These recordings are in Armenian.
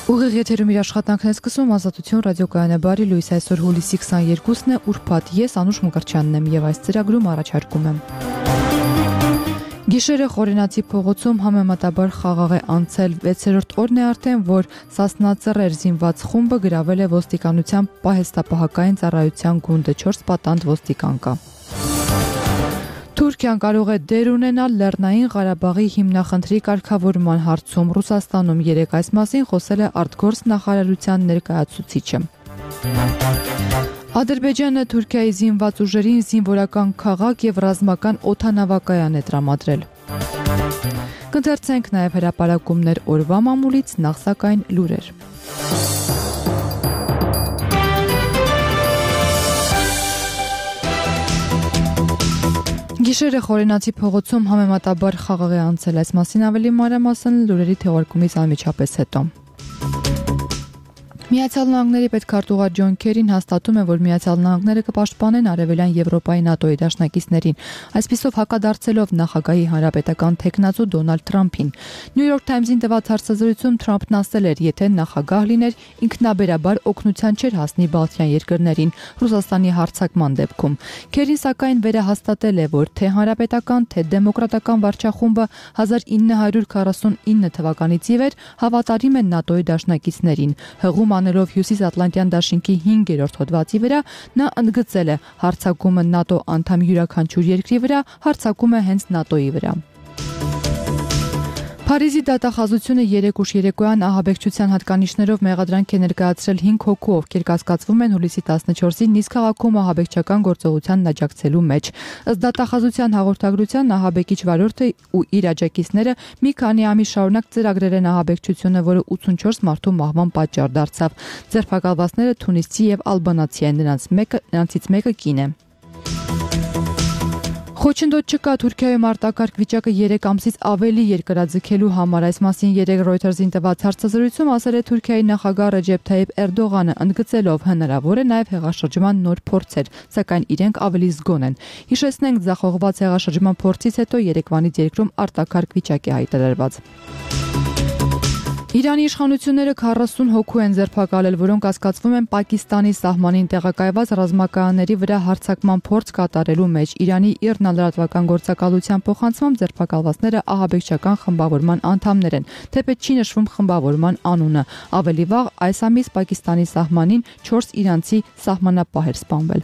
Ուղիղ եթերում իր աշխատանքն է սկսում Ազատություն ռադիոկայանը բարի լույս այսօր հուլիսի 22-ն է ուրբաթ ես Անուշ Մկրտչյանն եմ եւ այս ծրագրում առաջարկում եմ Գիշերը Խորենացի փողոցում համեմատաբար խաղաղ է անցել 6-րդ օրն է արդեն որ Սասնածռեր զինված խումբը գրավել է ոստիկանության պահեստապահական ծառայության գունդը 4 պատանդ ոստիկան կա Թուրքիան կարող է դեր ունենալ Լեռնային Ղարաբաղի հիմնախնդրի կարգավորման հարցում Ռուսաստանում երեկ այս մասին խոսել է արտգործ նախարարության ներկայացուցիչը Ադրբեջանը Թուրքիայի զինված ուժերին զինվորական քաղաք եւ ռազմական օդանավակայան է տրամադրել Կընթերցենք նաեւ հրապարակումներ օրվա մամուլից նախ սակայն լուրեր Գիշերը Խորենացի փողոցում համեմատաբար խաղաղ է անցել այս մասին ավելի մանրամասն լուրերի թողարկումից անմիջապես հետո Միացյալ Նահանգների պետքարտուղար Ջոն Քերին հաստատում է, որ Միացյալ Նահանգները կպաշտպանեն Արևելյան Եվրոպայի ՆԱՏՕ-ի դաշնակիցներին, այսպիսով հակադարձելով նախագահի հանրապետական թեկնածու Դոնալդ Թրամփին։ New York Times-ին տված հարցազրույցում Թրամփն ասել էր, եթե նախագահ լիներ, ինքնաբերաբար օգնության չէր հասնի Բալթյան երկրներին Ռուսաստանի հարձակման դեպքում։ Քերին սակայն վերահաստատել է, որ թե հանրապետական, թե դեմոկրատական վարչախումբը 1949 թվականից ի վեր հավատարիմ են ՆԱՏՕ-ի դաշնակիցներին։ Հղում անելով Հյուսիսատլանտյան դաշինքի 5-րդ հոդվածի վրա նա ընդգծել է հարձակումը ՆԱՏՕ անդամ յուրաքանչյուր երկրի վրա հարձակում է հենց ՆԱՏՕ-ի վրա Փարիզի դատախազությունը երեկ ուշ երեկոյան ահաբեկչության հատկանիշներով մեղադրանք է ներկայացրել 5 հոգու, ովքեր կասկածվում են հուլիսի 14-ին Նիս քաղաքում ահաբեկչական գործողությանն աջակցելու մեջ։ Ըստ դատախազության հաղորդագրության ահաբեկիչ վարորդը ու իր աջակիցները մի քանի ամիս շարունակ ծրագրել են ահաբեկչությունը, որը 84 մարդու մահվան պատճառ դարձավ։ Ձերբակալվածները թունիսցի եւ ալբանացի են, նրանցից մեկը կին է։ Խոչընդոտ չկա Թուրքիայում արտակարգ վիճակը 3 ամսից ավելի երկրաձգելու համար այս մասին երեկ Reuters-ին տված հարցազրույցում ասել է Թուրքիայի նախագահ Ռեջեփ Թայիփ Էրդողանը, ընդգծելով հնարավոր է նաև հեղաշրջման նոր փորձեր, սակայն իրենք ավելի զգոն են։ Հիշեցնենք, ձախողված հեղաշրջման փորձից հետո Երևանից երկրում արտակարգ վիճակ է հայտարարված։ Իրանի իշխանությունները 40 հոգու են ձերբակալել, որոնք կասկածվում են Պակիստանի սահմանին տեղակայված ռազմակայանների վրա հարձակման փորձ կատարելու մեջ։ Իրանի ԻՌՆ լրատվական գործակալության փոխանցմամբ ձերբակալվածները ահաբեկչական խմբավորման անդամներ են, թեպետ չի նշվում խմբավորման անունը։ Ավելի վաղ այս ամիս Պակիստանի սահմանին 4 իրանցի սահմանապահ էր սպանվել։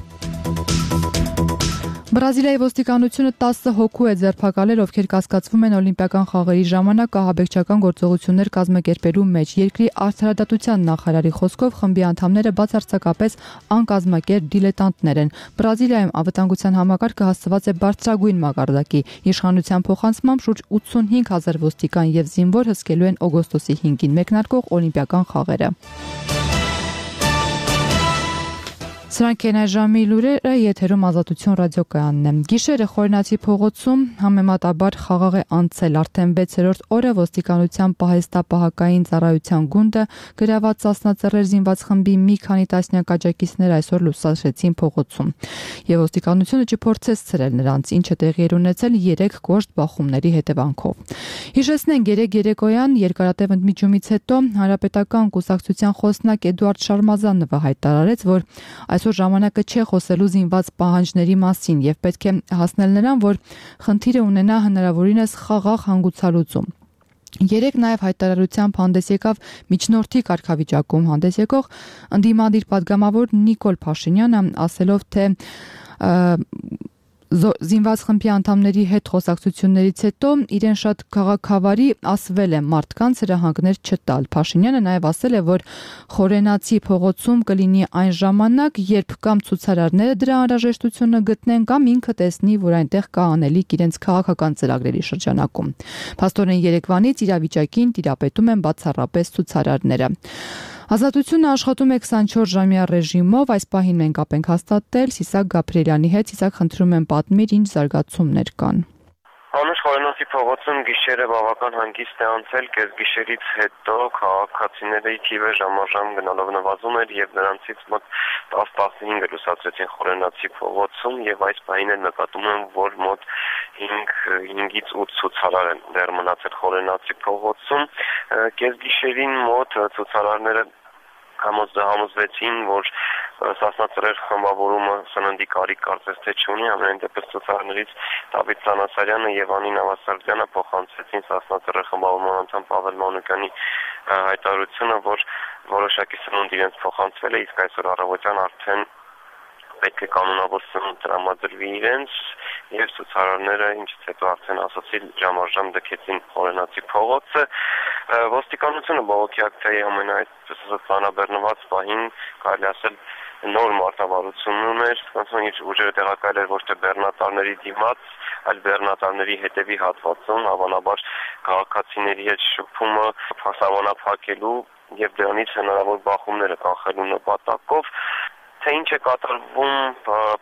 Բրազիլիայի ոստիկանությունը 10 հոգու է ձերբակալել, ովքեր կասկածվում են օլիմպիական խաղերի ժամանակ ահաբեկչական գործողություններ կազմակերպելու մեջ։ Երկրի արդարադատության նախարարի խոսքով խմբի անդամները բացարձակապես անկազմակերպ դիլետանտներ են։ Բրազիլիայում անվտանգության համակարգը հասցված է բարձրագույն մակարդակի։ Իշխանության փոխանցմամբ շուրջ 85,000 ոստիկան եւ զինվոր հսկելու են օգոստոսի 5-ին մեկնարկող օլիմպիական խաղերը։ Սրանք են այժմի լուրերը, եթերում Ազատություն ռադիոկայանն է։ Գիշերը Խորենացի փողոցում համեմատաբար խաղաղ է անցել արդեն 6-րդ օրը ոստիկանության պահեստապահական ծառայության գունդը գրաված Սասնածռեր զինված խմբի մի քանի տասնյակ աջակիցներ այսօր լուսացրեցին փողոցում։ Եվ ոստիկանությունը չփորձեց ցրել նրանց, ինչը տեղի էր ունեցել 3 կոշտ բախումների հետևանքով։ Հիշեցնենք, երեկոյան երկարատև ընդմիջումից հետո հանրապետական կուսակցության խոսնակ Էդուարդ Շարմազանովը հայտարարեց, որ այսօր ժամանակը չէ խոսելու զինված պահանջների մասին եւ պետք է հասնել նրան, որ խնդիրը ունենա հնարավորինս խաղաղ հանգուցալուծում։ Երեք նաև հայտարարությամբ հանդես եկավ միջնորդի կարգավիճակում հանդես եկող ընդդիմադիր պատգամավոր Նիկոլ Փաշինյանը, ասելով, թե զինված խմբի անդամների հետ խոսակցություններից հետո իրեն շատ քաղաքավարի ասվել է մարդկանց հրահանգներ չտալ։ Փաշինյանը նաև ասել է, որ Խորենացի փողոցում կլինի այն ժամանակ, երբ կամ ցուցարարները դրա անհրաժեշտությունը գտնեն, կամ ինքը տեսնի, որ այնտեղ կա անելիք իրենց քաղաքական ծրագրերի շրջանակում։ Փաստորեն Երևանից իրավիճակին տիրապետում են բացառապես ցուցարարները։ Ազատությունը աշխատում է 24-ժամյա ռեժիմով, այս պահին մենք կապ ենք հաստատել Սիսակ Գաբրիելյանի հետ։ Սիսակ, խնդրում եմ պատմիր, ինչ զարգացումներ կան։ Անուշ խորենոցի փողոցում գիշերը բավական հանգիստ է անցել, կեսգիշերից հետո քաղաքացիների թիվը ժամ-ժամ գնալով նվազում էր եւ նրանցից մոտ 10-15 լուսացրեցին խորենոցի փողոցում եւ այս պահին էլ նկատում եմ, որ մոտ 5-ից 8 ցուցարար են դեռ մնացել խորենոցի փողոցում, կեսգիշերին մոտ ցուցարարները համոզվեցին, որ Սասնածռեր խմբավորումը սննդի կարիք կարծես թե չունի, ամեն դեպս ցուցարարներից Դավիթ Սանասարյանը եւ Անին Ավասարդյանը փոխանցեցին Սասնածռեր խմբավորման անդամ Պավել Մանուկյանի հայտարարությունը, որ որոշակի սնունդ իրենց փոխանցվել է, իսկ այսօր առավոտյան արդեն պետք է կանոնավոր սնունդ տրամադրվի իրենց եւ ցուցարարները ինչից հետո արդեն ասացի ժամաժամ դքեցին խորենացի փողոցը ոստիկանությունը բողոքի ակցիայի ամենայդպես ծանրաբեռնված պահին կարելի ասել նոր մարտավարություն ուներ, ոնց որ ուժերը տեղակայել էր ոչ թե բեռնատարների դիմաց, այլ բեռնատարների հետևի հատվածում, հավանաբար քաղաքացիների հետ շփումը փաստաբանափակելու եւ դրանից հնարավոր բախումները կանխելու նպատակով թե ինչ է կատարվում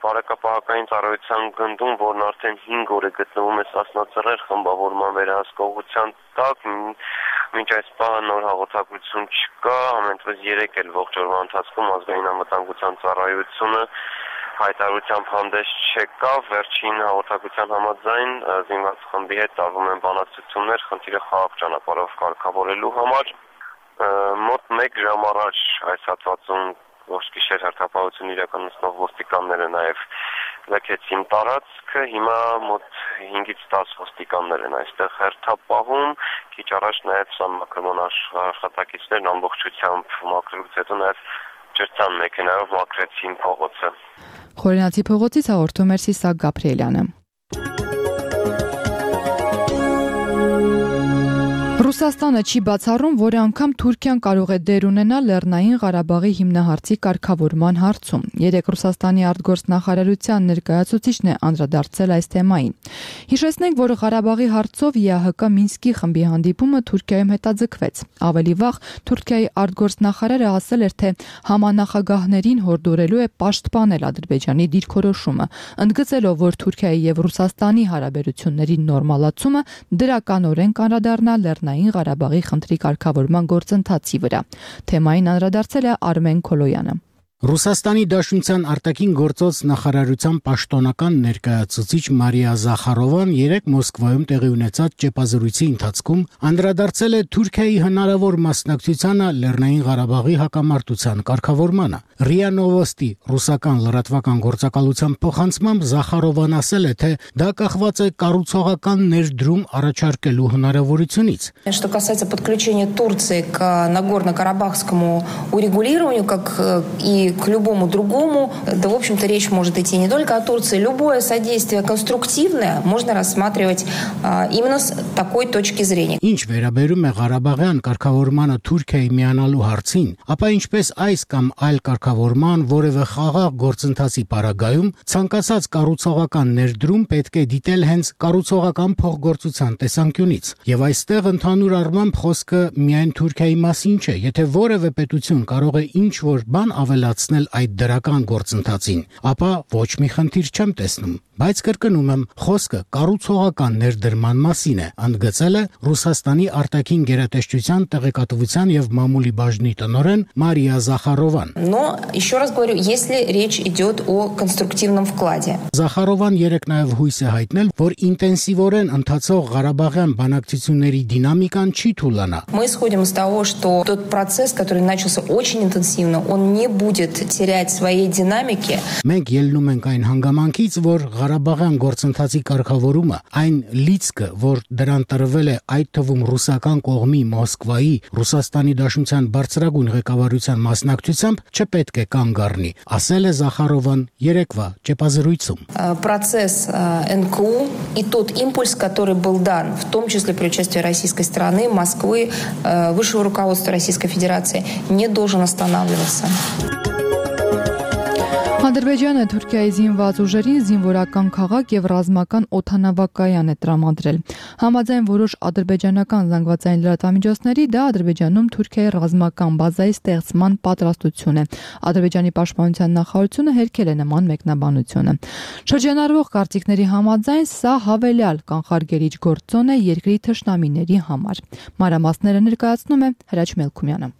բարեկապահական ծառայության գնդում, որն արդեն 5 օր է գտնվում է Սասնածռեր խմբավորման վերահսկողության տակ, մինչ այս պահը նոր հաղորդագրություն չկա, ամենտվես 3 էլ ողջ օրվա ընթացքում ազգային անվտանգության ծառայությունը հայտարարությամբ հանդես չեկավ, վերջին հաղորդագրության համաձայն զինված խմբի հետ տարվում են բանակցություններ, խնդիրը խաղաղ ճանապարհով կարգավորելու համար, մոտ 1 ժամ առաջ այս հատվածում ողջ գիշեր հերթապահություն իրականացնող ոստիկանները նաև լքեցին տարածքը, հիմա մոտ 5-ից 10 ոստիկաններ են այստեղ հերթապահում, քիչ առաջ նաև սամակրման աշխատակիցներն ամբողջությամբ մաքրելուց հետո նաև ջրցան մեքենայով մաքրեցին փողոցը։ Խորենացի փողոցից հաղորդում էր Սիսակ Գաբրիելյանը։ Ռուսաստանը չի բացառում, որ անգամ Թուրքիան կարող է դեր ունենալ Լեռնային Ղարաբաղի հիմնահարցի կարգավորման հարցում։ Երեկ Ռուսաստանի արտգործնախարարության ներկայացուցիչն է անդրադարձել այս թեմային։ Հիշեցնենք, որ Ղարաբաղի հարցով ԵԱՀԿ Մինսկի խմբի հանդիպումը Թուրքիայում հետաձգվեց։ Ավելի վաղ Թուրքիայի արտգործնախարարը ասել էր, թե համանախագահներին հորդորելու է պաշտպանել Ադրբեջանի դիրքորոշումը, ընդգծելով, որ Թուրքիայի եւ Ռուսաստանի հարաբերությունների նորմալացումը դրականորեն կանրադառնա Լեռնային Ղարաբաղի խնդրի կարգավորման գործընթացի վրա։ Թեմային անդրադարձել է Արմեն Քոլոյանը։ Ռուսաստանի Դաշնության արտաքին գործոց նախարարության պաշտոնական ներկայացուցիչ Մարիա Զախարովան երեկ Մոսկվայում տեղի ունեցած ճեպազրույցի ընթացքում անդրադարձել է Թուրքիայի հնարավոր մասնակցությանը Լեռնային Ղարաբաղի հակամարտության կարգավորմանը։ ՌԻԱ Նովոստի ռուսական լրատվական գործակալության փոխանցմամբ Զախարովան ասել է, թե դա կախված է կառուցողական ներդրում առաջարկելու հնարավորությունից։ Что касается подключения Турции к Нагорно-Карабахскому урегулированию, как и к любому другому, да, в общем-то, речь может идти не только о Турции. Любое содействие конструктивное можно рассматривать именно с такой точки зрения. Ինչ վերաբերում է Ղարաբաղյան կարգավորմանը Թուրքիայի միանալու հարցին, ապա ինչպես այս կամ այլ կարգավորման որևէ խաղաղ գործընթացի պարագայում, ցանկացած կառուցողական ներդրում պետք է դիտել հենց կառուցողական փոխգործության տեսանկյունից։ Եվ այստեղ ընդհանուր առմամբ խոսքը միայն Թուրքիայի մասին չէ, եթե որևէ պետություն կարող է ինչ-որ բան ավելացնել այդ դրական գործընթացին, ապա ոչ մի խնդիր չեմ տեսնում։ Բայց կրկնում եմ, խոսքը կառուցողական ներդրման մասին է, ընդգծել է Ռուսաստանի արտաքին գերատեսչության տեղեկատվության եւ մամուլի բաժնի տնօրեն Մարիա Զախարովան։ Но еще раз говорю, если речь идет о конструктивном вкладе. Զախարովան երեկ նաեւ հույս է հայտնել, որ ինտենսիվորեն ընթացող Ղարաբաղյան բանակցությունների դինամիկան չի թուլանա։ Мы исходим из того, что тот процесс, который начался очень интенсивно, он не будет терять своей динамики. Մենք ելնում ենք այն հանգամանքից, որ Ղարաբաղյան գործընթացի կարգավորումը, այն լիցքը, որ դրան տրվել է այդ թվում ռուսական կողմի Մոսկվայի, Ռուսաստանի Դաշնության բարձրագույն ղեկավարության մասնակցությամբ չպետք է կանգ առնի, ասել է Զախարովան երեկվա ճեպազրույցում։ Процесс НКУ и тот импульс, который был дан, в том числе при участии российской стороны, Москвы, высшего руководства Российской Федерации, не должен останавливаться. Ադրբեջանը Թուրքիայի զինված ուժերին զինվորական քաղաք եւ ռազմական օդանավակայան է տրամադրել։ Համաձայն որոշ ադրբեջանական զանգվածային լրատվամիջոցների, դա Ադրբեջանում Թուրքիայի ռազմական բազայի ստեղծման պատրաստություն է։ Ադրբեջանի պաշտպանության նախարարությունը հերքել է նման մեկնաբանությունը։ Շրջանառվող կարծիքների համաձայն սա հավելյալ կանխարգելիչ գործոն է երկրի թշնամիների համար։ Մանրամասները ներկայացնում է Հրաչ Մելքումյանը։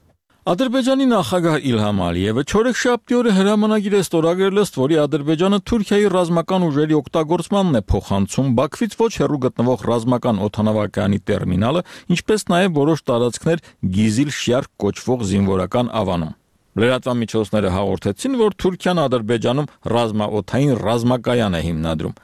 Ադրբեջանի նախագահ Իլհամ Ալիևը չորեքշաբթի օրը հրամանագիր է ստորագրել, ըստ որի Ադրբեջանը Թուրքիայի ռազմական ուժերի օգտագործմանն է փոխանցում Բաքվից ոչ հեռու գտնվող ռազմական օդանավակայանի տերմինալը, ինչպես նաև որոշ տարածքներ Գիզիլ Շյարք կոչվող զինվորական ավանում։ Լրատվամիջոցները հաղորդեցին, որ Թուրքիան Ադրբեջանում ռազմաօդային ռազմակայան է հիմնադրում։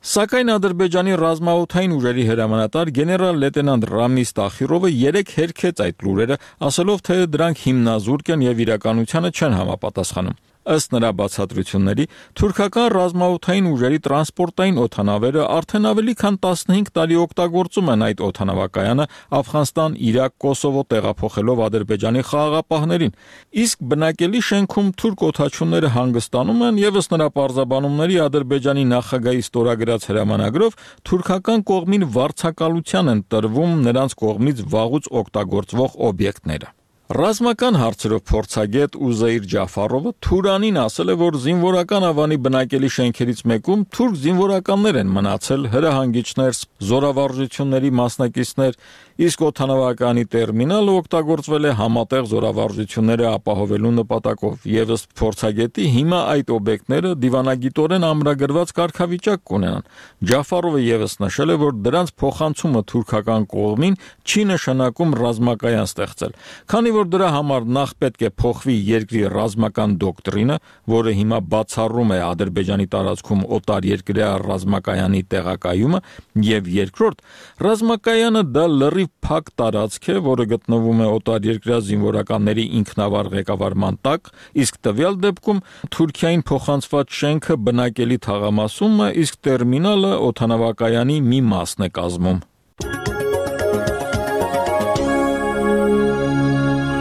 Սակայն Ադրբեջանի ռազմաօդային ուժերի հրամանատար գեներալ լեյտենանտ Ռամիս Տախիրովը երեկ հերքեց այդ լուրերը, ասելով, թե դրանք հիմնազուրկ են եւ իրականությանը չեն համապատասխանում։ Ըստ նրա բացատրությունների, թուրքական ռազմաօդային ուժերի տրանսպորտային օդանավերը արդեն ավելի քան 15 տարի օգտագործում են այդ օդանավակայանը Աֆղանստան, Իրաք, Կոսովո տեղափոխելով Ադրբեջանի խաղաղապահներին, իսկ բնակելի շենքում թուրք օդաչուները հանգստանում են եւ ըստ նրա պարզաբանումների Ադրբեջանի նախագահի ստորագրած հրամանագրով թուրքական կողմին վարձակալության են տրվում նրանց կողմից վաղուց օգտագործվող օբյեկտները։ Ռազմական հարցերով փորձագետ Ուզեյր Ջաֆարովը Թուրանին ասել է, որ զինվորական ավանի բնակելի շենքերից մեկում թուրք զինվորականներ են մնացել, հրահանգիչներ, զորավարժությունների մասնակիցներ, իսկ օդանավականի տերմինալը օգտագործվել է համատեղ զորավարժությունները ապահովելու նպատակով, եւ ըստ փորձագետի հիմա այդ օբյեկտները դիվանագիտորեն ամրագրված կարգավիճակ կունենան։ Ջաֆարովը եւս նշել է, որ դրանց փոխանցումը թուրքական կողմին չի նշանակում ռազմակայան ստեղծել, քանի որ դրա համար նախ պետք է փոխվի երկրի ռազմական դոկտրինը, որը հիմա բացառում է Ադրբեջանի տարածքում օտարերկրյա ռազմակայանի տեղակայումը, եւ երկրորդ, ռազմակայանը դա լրիվ փակ տարածք է, որը գտնվում է օտարերկրյա զինվորականների ինքնավար ղեկավարման տակ, իսկ տվյալ դեպքում Թուրքիային փոխանցված շենքը բնակելի թաղամասում է, իսկ տերմինալը օդանավակայանի մի մասն է կազմում։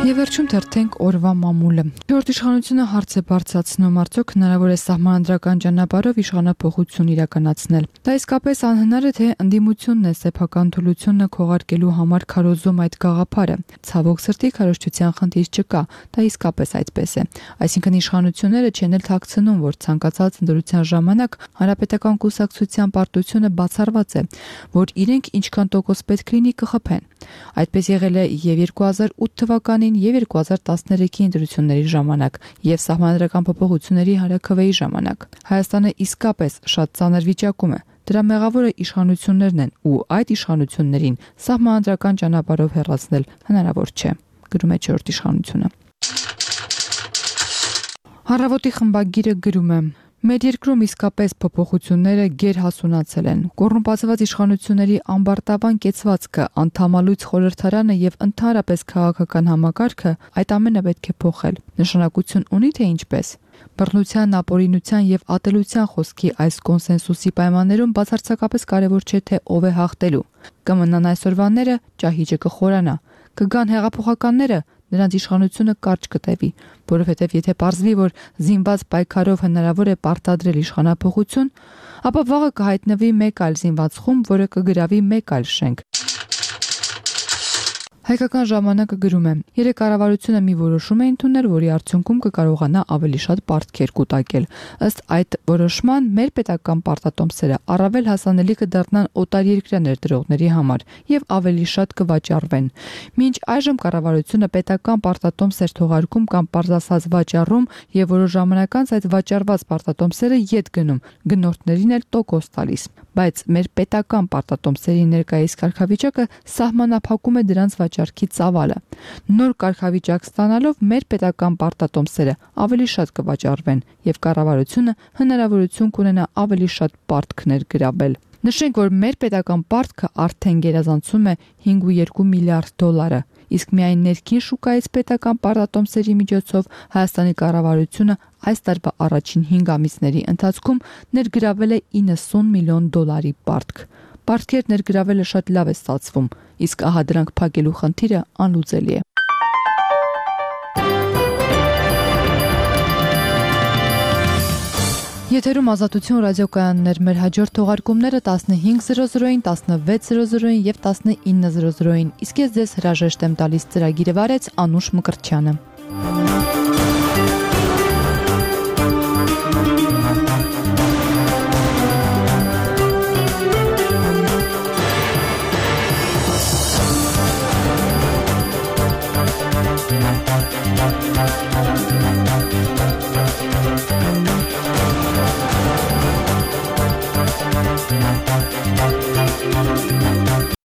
Եվ վերջում թերթենք օրվա մամուլը։ Չորրորդ իշխանությունը հարց է բարձրացնում, արդյոք հնարավոր է սահմանադրական ճանապարհով իշխանափոխություն իրականացնել։ Դա իսկապես անհնար է, թե ընդդիմությունն է սեփական թուլությունը քողարկելու համար քարոզում այդ գաղափարը։ Ցավոք սրտի քարոզչության խնդիր չկա, դա իսկապես այդպես է։ Այսինքն իշխանությունները չեն էլ թաքցնում, որ ցանկացած ընտրության ժամանակ հանրապետական կուսակցության պարտությունը բացառված է, որ իրենք ինչքան տոկոս պետք լինի կխփեն։ Այդպես եղել է եւ 2008 թվականին եւ 2013-ի ընտրությունների ժամանակ եւ սահմանադրական փոփոխությունների հանրաքվեի ժամանակ։ Հայաստանը իսկապես շատ ծանր վիճակում է։ Դրա մեղավորը իշխանություններն են ու այդ իշխանություններին սահմանադրական ճանապարհով հեռացնել հնարավոր չէ, գրում է չորրորդ իշխանությունը։ Առավոտի խմբագիրը գրում է. Մեր երկրում իսկապես փոփոխությունները գերհասունացել են։ Կոռումպացված իշխանությունների ամբարտավան կեցվածքը, անդամալույց խորհրդարանը եւ ընդհանրապես քաղաքական համակարգը այդ ամենը պետք է փոխել։ Նշանակություն ունի թե ինչպես։ Բռնության, ապօրինության եւ ատելության խոսքի այս կոնսենսուսի պայմաններում բացարձակապես կարեւոր չէ թե ով է հաղթելու։ Կմնան այսօրվանները, ճահիճը կխորանա, կգան հեղափոխականները, նրանց իշխանությունը կարճ կտևի, որովհետև եթե պարզվի, որ զինված պայքարով հնարավոր է պարտադրել իշխանափոխություն, ապա վաղը կհայտնվի մեկ այլ զինված խումբ, որը կգրավի մեկ այլ շենք։ Հայկական ժամանակը գրում է. երեք կառավարությունը մի որոշում է ընդունել, որի արդյունքում կկարողանա ավելի շատ պարտքեր կուտակել։ Ըստ այդ որոշման մեր պետական պարտատոմսերը առավել հասանելի կդառնան օտարերկրյա ներդրողների համար եւ ավելի շատ կվաճառվեն։ Մինչ այժմ կառավարությունը պետական պարտատոմսեր թողարկում կամ պարզասած վաճառում եւ որոշ ժամանակ անց այդ վաճառված պարտատոմսերը ետ գնում, գնորդներին էլ տոկոս տալիս։ Բայց մեր պետական պարտատոմսերի ներկայիս կարգավիճակը սահմանափակում է դրանց վաճառքի ծավալը։ Նոր կարգավիճակ ստանալով մեր պետական պարտատոմսերը ավելի շատ կվաճառվեն եւ կառավարությունը հնարավորություն կունենա ավելի շատ պարտքներ գրավել։ Նշենք, որ մեր պետական պարտքը արդեն գերազանցում է 5.2 միլիարդ դոլարը, իսկ միայն ներքին շուկայից պետական պարտատոմսերի միջոցով Հայաստանի կառավարությունը այս տարվա առաջին 5 ամիսների ընթացքում ներգրավել է 90 միլիոն դոլարի պարտք։ Պարտքեր ներգրավելը շատ լավ է ստացվում, իսկ ահա դրանք փակելու խնդիրը անլուծելի է։ Եթերում Ազատություն ռադիոկայաններ, մեր հաջորդ թողարկումները 15:00-ին, 16:00-ին եւ 19:00-ին։ Իսկ ես ձեզ հրաժեշտ եմ տալիս, ծրագիրը վարեց Անուշ Մկրտչյանը։